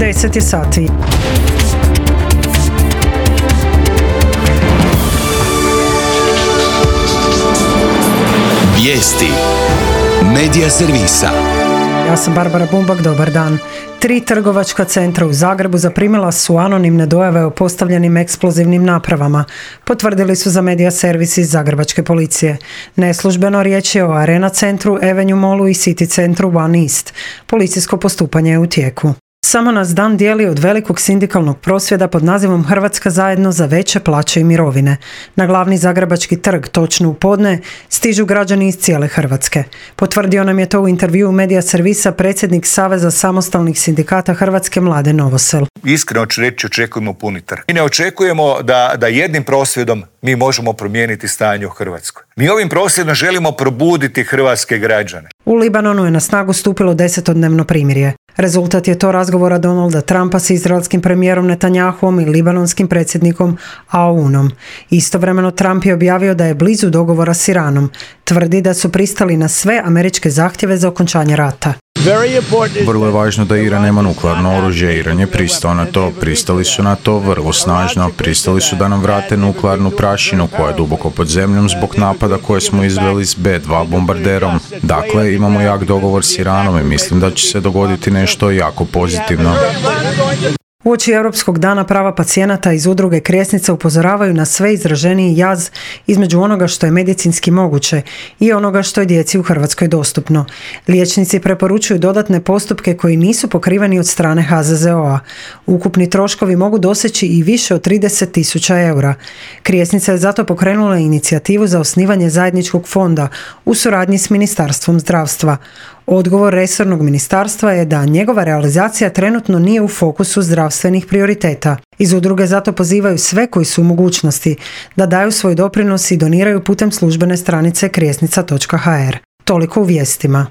10 je sati. Vijesti Medija servisa. Ja sam Barbara Bumbak, dobar dan. 3 trgovačka centra u Zagrebu zaprimila su anonimne dojave o postavljenim eksplozivnim napravama. Potvrdili su za Medija servis iz Zagrebačke policije. Neslužbeno riječ je o Arena centru, Avenue Mallu i City centru One East. Policijsko postupanje je u tijeku. Samo nas dan dijeli od velikog sindikalnog prosvjeda pod nazivom Hrvatska zajedno za veće plaće i mirovine. Na glavni zagrebački trg, točno u podne, stižu građani iz cijele Hrvatske. Potvrdio nam je to u intervjuu Medija servisa predsjednik Saveza samostalnih sindikata Hrvatske Mladen Novosel. Iskreno ću reći, očekujemo puni trg. Mi ne očekujemo da jednim prosvjedom mi možemo promijeniti stanje u Hrvatskoj. Mi ovim prosvjedom želimo probuditi hrvatske građane. U Libanonu je na snagu stupilo 10-dnevno primirje. Rezultat je to razgovora Donalda Trumpa s izraelskim premijerom Netanjahuom i libanonskim predsjednikom Aounom. Istovremeno Trump je objavio da je blizu dogovora s Iranom. Tvrdi da su pristali na sve američke zahtjeve za okončanje rata. Vrlo je važno da Iran nema nuklearno oružje. Iran je pristao na to, pristali su na to vrlo snažno, pristali su da nam vrate nuklearnu prašinu koja je duboko pod zemljom zbog napada koje smo izveli s B-2 bombarderom. Dakle, imamo jak dogovor s Iranom i mislim da će se dogoditi nešto jako pozitivno. Uoči Europskog dana prava pacijenata iz udruge Krijesnica upozoravaju na sve izraženiji jaz između onoga što je medicinski moguće i onoga što je djeci u Hrvatskoj dostupno. Liječnici preporučuju dodatne postupke koji nisu pokriveni od strane HZZO-a. Ukupni troškovi mogu doseći i više od 30.000 eura. Krijesnica je zato pokrenula inicijativu za osnivanje zajedničkog fonda u suradnji s Ministarstvom zdravstva. Odgovor resornog ministarstva je da njegova realizacija trenutno nije u fokusu zdravstvenih prioriteta. Iz udruge zato pozivaju sve koji su u mogućnosti da daju svoj doprinos i doniraju putem službene stranice krijesnica.hr. Toliko u vijestima.